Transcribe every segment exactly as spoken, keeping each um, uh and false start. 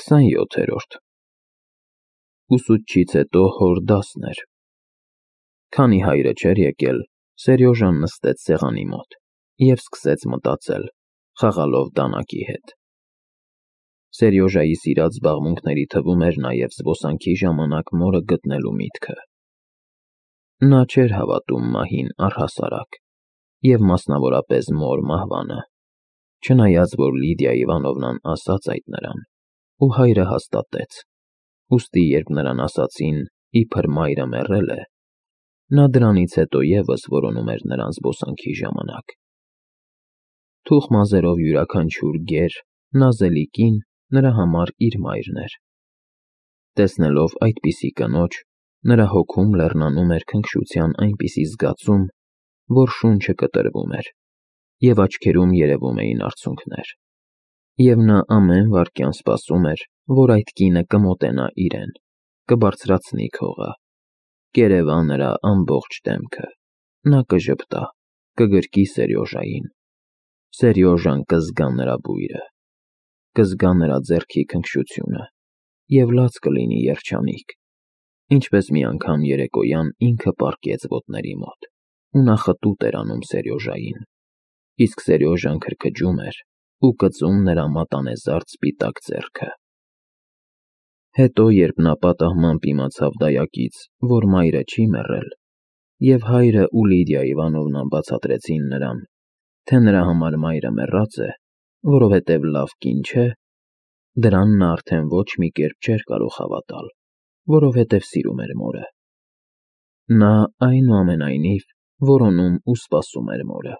քսանյոթերորդ Ուսուցչից հետո հոր դասն էր։ Քանի հայրը չէր եկել, Սերյոժան նստեց սեղանի մոտ և սկսեց մտածել, խաղալով դանակի հետ։ Սերյոժայի սիրած զբաղմունքների թվում էր նաև զբոսանքի ժամանակ մորը գտնելու միտքը։ Նա չէր հավատում մահին առհասարակ, և մասնավորապես մոր մահվանը, չնայած որ Լիդիա Իվանովնան ասաց այդ նրան, ու հայրը հաստատեց, ուստի երբ նրան ասացին, իբր մայրը մեռել է, նա դրանից հետո ևս որոնում էր նրան զբոսանքի ժամանակ։ Թուխ մազերով յուրաքանչյուր գեր, նազելի կին նրա համար իր մայրն էր։ Տեսնելով այդպիսի կնոջ, նրա հոգում լեռնանում էր քնքշության այնպիսի զգացում, որ շունչը կտրվում էր, և աչքերում երևում էին արցունքներ, և նա ամեն վայրկյան սպասում էր, որ այդ կինը կմոտենա իրեն, կբարձրացնի քողը, կերևա նրա ամբողջ դեմքը, նա կժպտա, կգրկի Սերյոժային, Սերյոժան կզգա նրա բույրը, կզգա նրա ձեռքի քնքշությունը և լաց կլինի երջանիկ, ինչպես մի անգամ երեկոյան ինքը պառկեց ոտների մոտ, ու նա խտուտ էր անում Սերյոժային, իսկ Սերյոժան քրքջում էր ու կծում նրա մատանեզարդ սպիտակ ձեռքը։ Հետո, երբ նա պատահմամբ իմացավ դայակից, որ մայրը չի մեռել, և հայրը ու Լիդիա Իվանովնան բացատրեցին նրան, թե նրա համար մայրը մեռած է, որովհետև լավ կին չէ, դրան նա արդեն ոչ մի կերպ չէր կարող հավատալ, որովհետև սիրում էր մորը։ Նա, այնուամենայնիվ, որոնում ու սպասում էր մորը։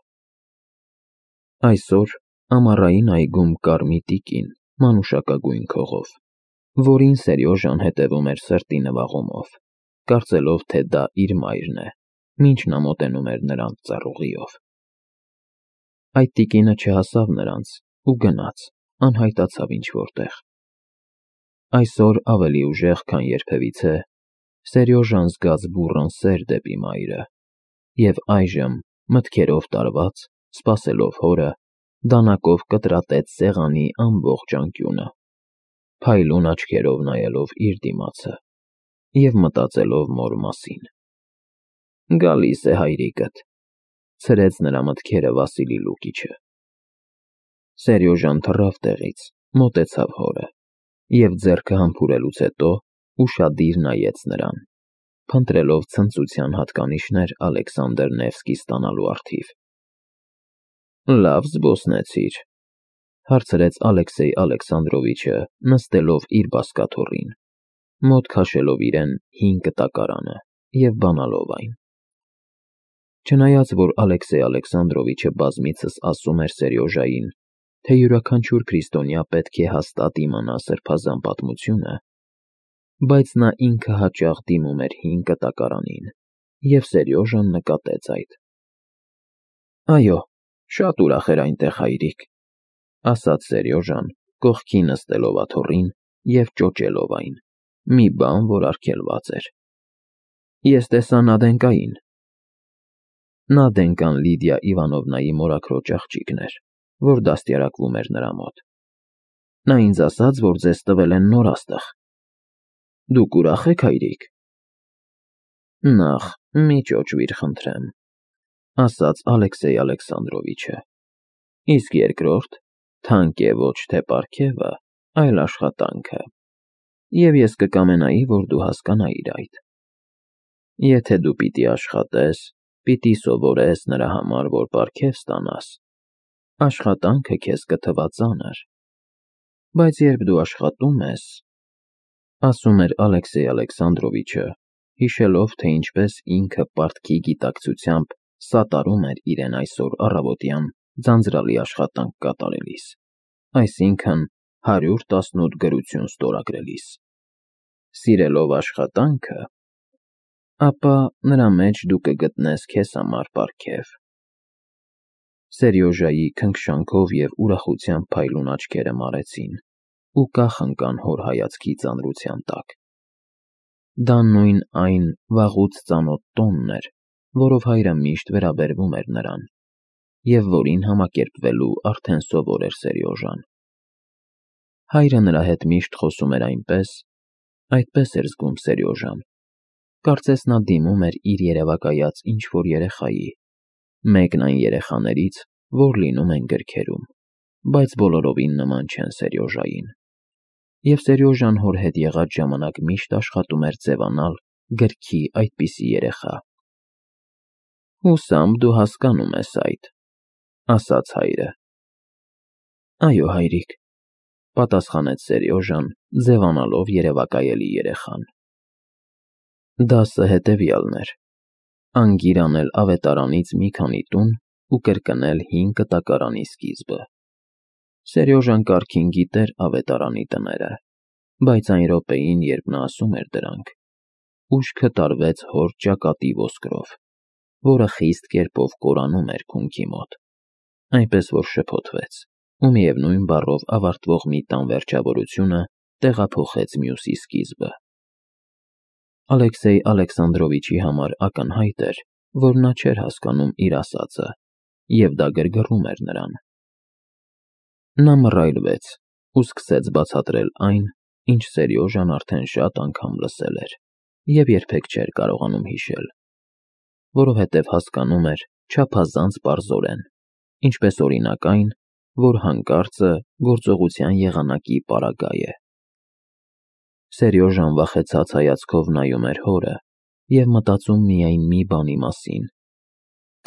Այսօր ամառային այգում կար մի տիկին մանուշակագույն քողով, որին Սերյոժան հետևում էր սրտի նվաղումով, կարծելով, թե դա իր մայրն է, մինչ նա մոտենում էր նրան ծառուղիով։ Այդ տիկինը չհասավ նրանց ու գնաց, անհայտացավ ինչ֊որ տեղ։ Այսօր ավելի ուժեղ, քան երբևիցե, Սերյոժան զգաց բուռն սեր դեպի մայրը, և այժմ, մտքերով տարված, սպասելով հորը, դանակով կտրատեց սեղանի ամբողջ անկյունը, փայլուն աչքերով նայելով իր դիմացը և մտածելով մոր մասին։ «Գալիս է հայրիկդ», ցրեց նրա մտքերը Վասիլի Լուկիչը։ Սերյոժան թռավ տեղից, մոտեցավ հորը և ձեռքը համբուրելուց հետո ուշադիր նայեց նրան, փնտրելով ցնծության հատկանիշներ Ալեքսանդր Նևսկի ստանալու առթիվ։ «Լավ զբոսնեցիր», հարցրեց Ալեքսեյ Ալեքսանդրովիչը, նստելով իր բազկաթոռին, մոտ քաշելով իրեն հին կտակարանը և բանալով այն։ Չնայած որ Ալեքսեյ Ալեքսանդրովիչը բազմիցս ասում էր Սերյոժային, թե յուրաքանչյուր քրիստոնյա պետք է հաստատ իմանա սրբազան պատմությունը, բայց նա ինքը հաճախ դիմում էր հին կտակարանին, և Սերյոժան նկատեց այդ։ «Այո, շատ ուրախ էր այնտեղ հայրիկ», ասաց Սերյոժան, կողքի նստելով աթոռին և ճոճելով այն, մի բան, որ արգելված էր։ «Ես տեսա Նադենկային»։ Նադենկան Լիդիա Իվանովնայի մորաքրոջ աղջիկն էր, որ դաստիարակվում էր նրա մոտ։ Նա ինձ ասաց, որ ձեզ տվել են նոր աստղ։ Դուք ուրախ եք, հայրիկ։ Նախ, մի ճոճվիր, խնդրեմ, ասաց Ալեքսեյ Ալեքսանդրովիչը, իսկ երկրորդ, թանկ է ոչ թե պարգևը, այլ աշխատանքը, և ես կկամենայի, որ դու հասկանայիր այդ։ Եթե դու պիտի աշխատես, պիտի սովորես նրա համար, որ պարգև ստանաս, աշխատանքը քեզ կթվա ծանր, բայց երբ դու աշխատում ես, ասում էր Ալեքսեյ Ալեքսանդրովիչը, հիշելով, թե ինչպես ինքը պարտքի գիտակցությամբ սատարում էր իրեն այսօր առավոտյան ձանձրալի աշխատանք կատարելիս, այսինքն հարյուր տասնութ գրություն ստորագրելիս, սիրելով աշխատանքը, ապա նրա մեջ դու կգտնես քեզ համար պարգև։ Սերյոժայի քնքշանքով և ուրախությամբ փայլուն աչքերը մարեցին ու կախ ընկան հոր հայացքի ծանրության տակ։ Դա նույն այն վաղուց ծանոթ տոնն էր, որով հայրը միշտ վերաբերվում էր նրան, և որին համակերպվելու արդեն սովոր էր Սերյոժան։ Հայրը նրա հետ միշտ խոսում էր այնպես, այդպես էր զգում Սերյոժան։ Կարծես նա դիմում էր իր երևակայած ինչ-որ երեխայի, մեկն այն երեխաներից, որ լինում են գրքերում, բայց բոլորովին նման չեն Սերյոժային։ Եվ Սերյոժան հոր հետ եղած ժամանակ միշտ աշխատում էր ձևանալ գրքի այդպիսի երեխա։ Հուսամ դու հասկանում ես այդ, ասաց հայրը։ Այո, հայրիկ, պատասխանեց Սերյոժան, ձևանալով երևակայելի երեխան։ Դասը հետևյալն էր. անգիր անել ավետարանից մի քանի տուն ու կրկնել հին կտակարանի սկիզբը։ Սերյոժան կարգին գիտեր ավետարանի տները, բայց այն րոպեին, երբ նա ասում էր դրանք, ուշքը տարվեց հոր ճակատի ոսկրով, որը խիստ կերպով կորանում էր քունքի մոտ, այնպես որ շփոթվեց, ու միևնույն բառով ավարտվող մի տան վերջավորությունը տեղափոխեց մյուսի սկիզբը։ Ալեքսեյ Ալեքսանդրովիչի համար ակնհայտ էր, որ նա չէր հասկանում իր ասածը, և դա գրգռում էր նրան։ Նա մռայլվեց ու սկսեց բացատրել այն, ինչ Սերյոժան արդեն շատ անգամ լսել էր և երբեք չէր կարողանում հիշել, որովհետև հասկանում էր չափազանց պարզորեն, ինչպես օրինակ այն, որ հանկարծը գործողության եղանակի պարագա է։ Սերյոժան վախեցած հայացքով նայում էր հորը և մտածում միայն մի բանի մասին.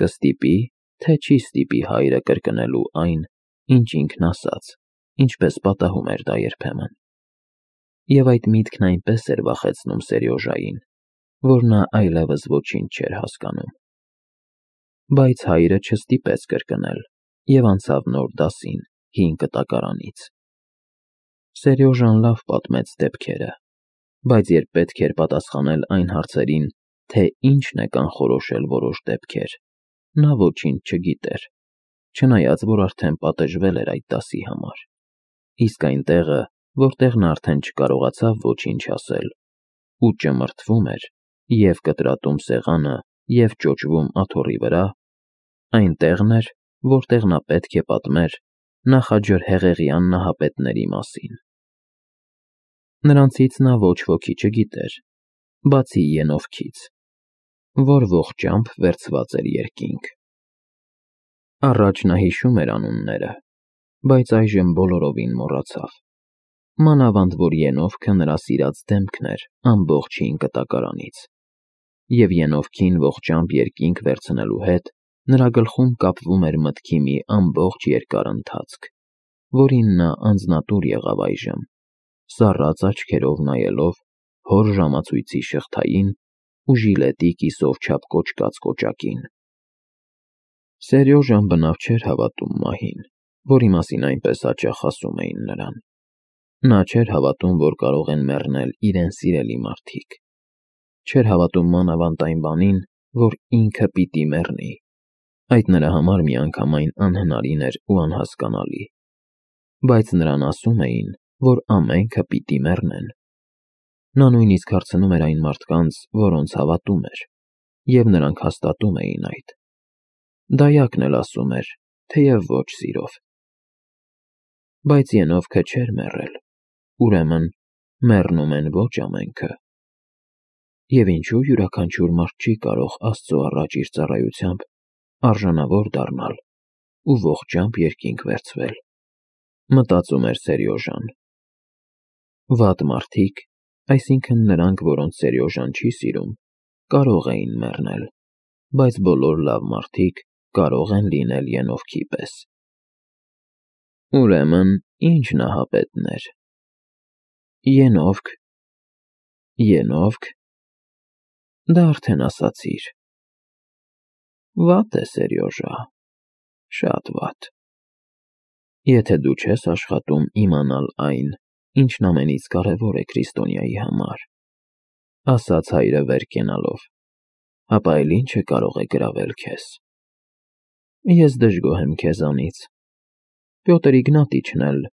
կստիպի, թե չի ստիպի հայրը կրկնելու այն, ինչ ինքն ասաց, ինչպես պատահում էր դա երբեմն։ Եվ այդ միտքն այնպես էր վախեցնում Սերյոժային, որ նա այլևս ոչինչ չէր հասկանում։ Բայց հայրը չստիպեց կրկնել և անցավ նոր դասին հին կտակարանից։ Սերյոժան լավ պատմեց դեպքերը, բայց երբ պետք էր պատասխանել այն հարցերին, թե ինչն է կանխորոշել որոշ դեպքեր, նա ոչինչ չգիտեր, չնայած որ արդեն պատժվել էր այդ դասի համար, իսկ այն տեղը, որտեղ նա արդեն չկարողացավ ոչինչ ասել, ու ճմրթվում էր և կտրատում սեղանը, և ճոճվում աթոռի վրա, այն տեղն էր, որտեղ նա պետք է պատմեր նախաջրհեղեղյան նահապետների մասին։ Նրանցից նա ոչ ոքի չգիտեր, բացի Ենովքից, որ ողջամբ վերցված էր երկինք։ Առաջ նա հիշում էր անունները, բայց այժմ բոլորովին մոռացավ, մանավանդ որ Ենովքը նրա սիրած դեմքն էր ամբողջ հին կտակարանից, և Ենովքին ողջամբ երկինք վերցնելու հետ նրա գլխում կապվում էր մտքի մի ամբողջ երկար ընթացք, որին նա անձնատուր եղավ այժմ, սառած աչքերով նայելով հոր ժամացույցի շղթային ու ժիլետի կիսով չափ կոճկած կոճակին։ Սերյոժան բնավ չէր հավատում մահին, որի մասին այնպես հաճախ ասում էին նրան։ Նա չէր հավատում, որ կարող են մեռնել իրեն սիրելի մարդիկ։ Չէր հավատում մանավանդ այն բանին, որ ինքը պիտի մեռնի։ Այդ նրա համար միանգամայն անհնարին էր ու անհասկանալի։ Բայց նրան ասում էին, որ ամենքը պիտի մեռնեն։ Նա նույնիսկ հարցնում էր այն մարդկանց, որոնց հավատում էր, և նրանք հաստատում էին այդ։ Դայակն էլ ասում էր, թեև ոչ սիրով։ Բայց Ենովքը չէր մեռել, ուրեմն մեռնում են ոչ ամենքը։ Եվ ինչու յուրաքանչյուր մարդ չի կարող Աստծո առաջ իր ծառայությամբ արժանավոր դառնալ ու ողջամբ երկինք վերցվել, մտածում էր Սերյոժան։ Վատ մարդիկ, այսինքն նրանք, որոնց Սերյոժան չի սիրում, կարող էին մեռնել, բայց բոլոր լավ մարդիկ կարող են լինել Ենովքի պես։ Ուրեմն ի՞նչ նահապետներ։ Ենովք։ Ենովք։ Դա արդեն ասացիր։ Վատ է, Սերյոժա, շատ վատ։ Եթե դու չես աշխատում իմանալ այն, ինչն ամենից կարևոր է քրիստոնյայի համար, ասաց հայրը վեր կենալով, ապա էլ ի՞նչը կարող է գրավել քեզ։ Ես դժգոհ եմ քեզանից։ Պյոտր Իգնատիչն էլ,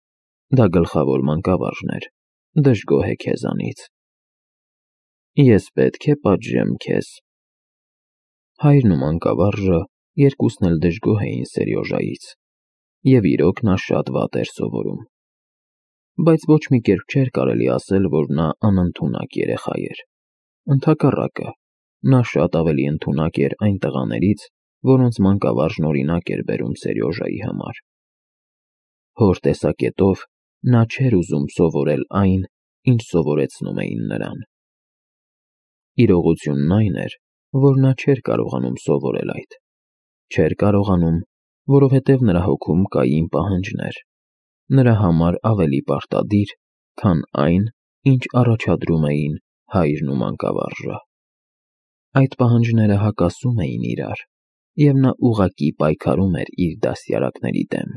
դա գլխավոր մանկավարժն էր, դժգոհ է քեզանից։ Ես պետք է պատժեմ քեզ։ Հայրն ու մանկավարժը երկուսն էլ դժգոհ էին Սերյոժայից, և իրոք նա շատ վատ էր սովորում։ բայց ոչ մի կերպ չէր կարելի ասել, որ նա անընդունակ երեխա էր։ Ընդհակառակը, նա շատ ավելի ընդունակ էր այն տղաներից, որոնց մանկավարժն օրինակ էր բերում Սերյոժայի համար։ Հոր տեսակետով նա չէր ուզում սովորել այն, ինչ սովորեցնում էին նրան։ Իրողությունն այն էր, որ նա չէր կարողանում սովորել այդ։ Չէր կարողանում, որովհետև նրա հոգում կային պահանջներ, նրա համար ավելի պարտադիր, քան այն, ինչ առաջադրում էին հայրն ու մանկավարժը։ Այդ պահանջները հակասում էին իրար, և նա ուղղակի պայքարում էր իր դաստիարակների դեմ։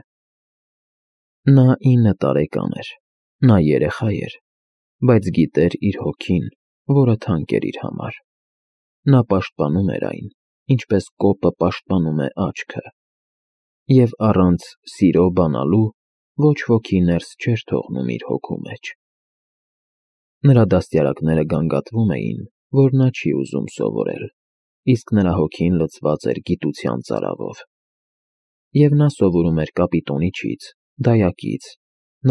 Նա ինը տարեկան էր, նա երեխա էր, բայց գիտեր իր հոգին, որը թանկ էր իր համար։ Նա պաշտպանում էր այն, ինչպես կոպը պաշտպանում է աչքը, և առանց սիրո բանալու ոչ ոքի ներս չէր թողնում իր հոգու մեջ։ Նրա դաստիարակները գանգատվում էին, որ նա չի ուզում սովորել, իսկ նրա հոգին լցված էր գիտության ծարավով։ Եվ նա սովորում էր Կապիտոնիչից, Դայակից,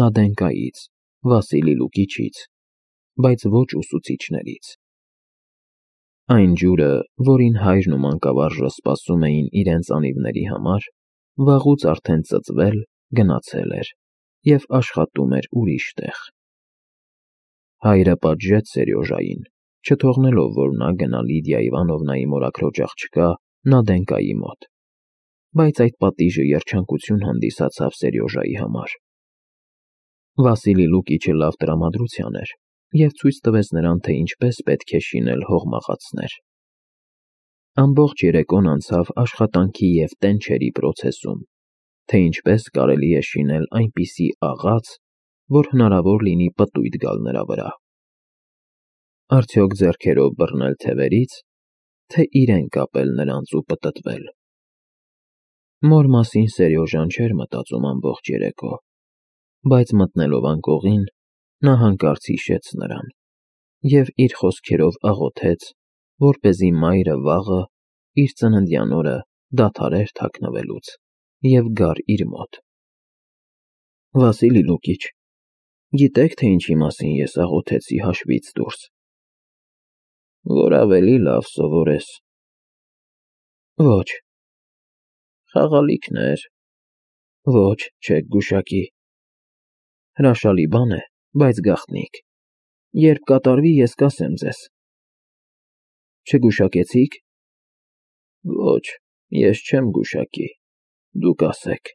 Նադենկայից, Վասիլի Լուկիչից, բայց ոչ ուսուցիչներից։ Այն ջուրը, որին հայրն ու մանկավարժը սպասում էին իրենց անիվների համար, վաղուց արդեն ծծվել, գնացել էր և աշխատում էր ուրիշ տեղ։ Հայրը պատժեց Սերյոժային, չթողնելով, որ նա գնա Լիդիա Իվանովնայի մորաքրոջ աղջկա Նադենկայի մոտ, բայց այդ պատիժը երջանկություն հանդիսացավ Սերյոժայի համար։ Վասիլի Լուկիչը լավ տրամադրության էր և ցույց տվեց նրան, թե ինչպես պետք է շինել հողմաղացներ։ Ամբողջ երեկոն անցավ աշխատանքի և տենչերի պրոցեսում, թե ինչպես կարելի է շինել այնպիսի աղաց, որ հնարավոր լինի պտույտ գալ նրա վրա։ Արդյոք ձեռքերով բռնել թևերից, թե իրեն կապել նրանց ու պտտվել։ Մոր մասին Սերյոժան չէր մտածում ամբողջ երեկո, բայց մտնելով անկողին, նա հանկարծ հիշեց նրան և իր խոսքերով աղոթեց, որպեսզի մայրը վաղը, իր ծննդյան օրը, դադարեր թաքնվելուց և գար իր մոտ։ Վասիլի Լուկիչ, գիտե՞ք, թե ինչի մասին ես աղոթեցի հաշվից դուրս։ Որ ավելի լավ սովորես։ Ոչ։ Խաղալիքնե՞ր։ Ոչ, չեք գուշակի։ Հրաշալի բան է, բայց գաղտնիք։ Երբ կատարվի, ես կասեմ ձեզ։ Չգուշակեցի՞ք։ Ոչ, ես չեմ գուշակի, դուք ասեք,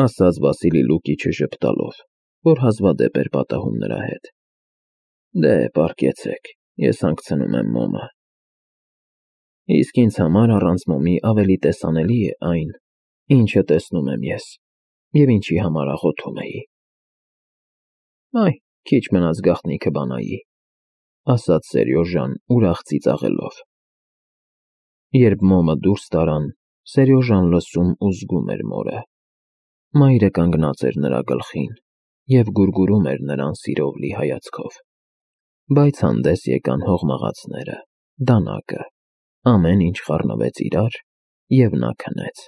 ասաց Վասիլի Լուկիչը ժպտալով, որ հազվադեպ էր պատահում նրա հետ։ Դե, պառկեցեք, ես հանգցնում եմ մոմը։ Իսկ ինձ համար առանց մոմի ավելի տեսանելի է այն, ինչը տեսնում եմ ես, և ինչի համար աղոթում էի։ Այ, քիչ մնաց գաղտնիքը բանայի, ասաց Սերյոժան ուրախ ծիծաղելով։ Երբ մոմը դուրս տարան, Սերյոժան լսում ու զգում էր մորը։ Մայրը կանգնած էր նրա գլխին և գուրգուրում էր նրան սիրով լի հայացքով։ Բայց հանդես եկան հողմաղացները, դանակը, ամեն ինչ խառնվեց իրար, և նա քնեց։